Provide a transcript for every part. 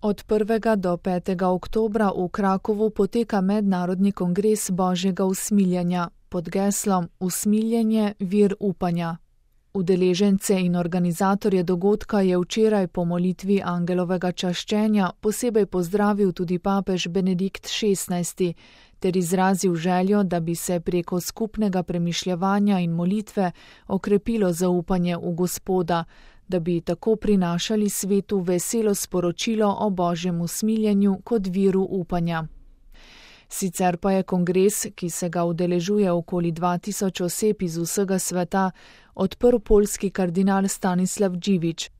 Od 1. do 5. oktobra v Krakovu poteka mednarodni kongres Božjega usmiljenja pod geslom Usmiljenje, vir upanja. Udeležence in organizatorje dogodka je včeraj po molitvi angelovega čaščenja posebej pozdravil tudi papež Benedikt XVI ter izrazil željo, da bi se preko skupnega premišljevanja in molitve okrepilo zaupanje v Gospoda, da bi tako prinašali svetu veselo sporočilo o Božjem usmiljenju kot viru upanja. Sicer pa je kongres, ki se ga udeležuje okoli 2000 oseb iz vsega sveta, odprl poljski kardinal Stanislav Dziwisz.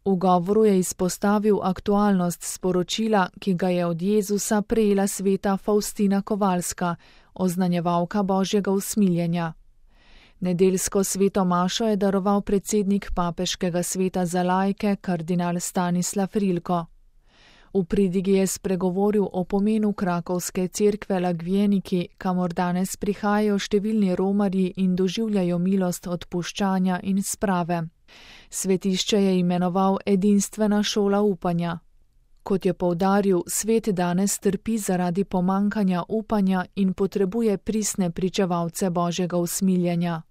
V govoru je izpostavil aktualnost sporočila, ki ga je od Jezusa prejela sveta Faustina Kowalska, oznanjevalka Božjega usmiljenja. Nedeljsko sveto mašo je daroval predsednik papeškega sveta za laike, kardinal Stanislav Rilko. V pridigi je spregovoril o pomenu krakovske cerkve Lagvjeniki, kamor danes prihajajo številni romarji in doživljajo milost odpuščanja in sprave. Svetišče je imenoval edinstvena šola upanja. Kot je poudaril, svet danes trpi zaradi pomankanja upanja in potrebuje pristne pričevalce Božjega usmiljenja.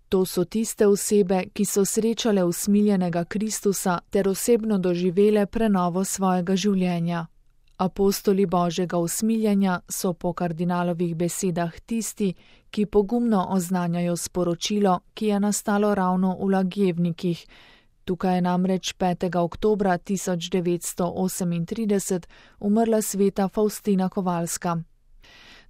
To so tiste osebe, ki so srečale usmiljenega Kristusa ter osebno doživele prenovo svojega življenja. Apostoli Božjega usmiljenja so po kardinalovih besedah tisti, ki pogumno oznanjajo sporočilo, ki je nastalo ravno v Lagevnikih. Tukaj je namreč 5. oktobra 1938 umrla sveta Faustina Kowalska.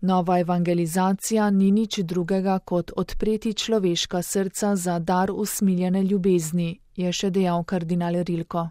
Nova evangelizacija ni nič drugega kot odpreti človeška srca za dar usmiljene ljubezni, je še dejal kardinal Rilko.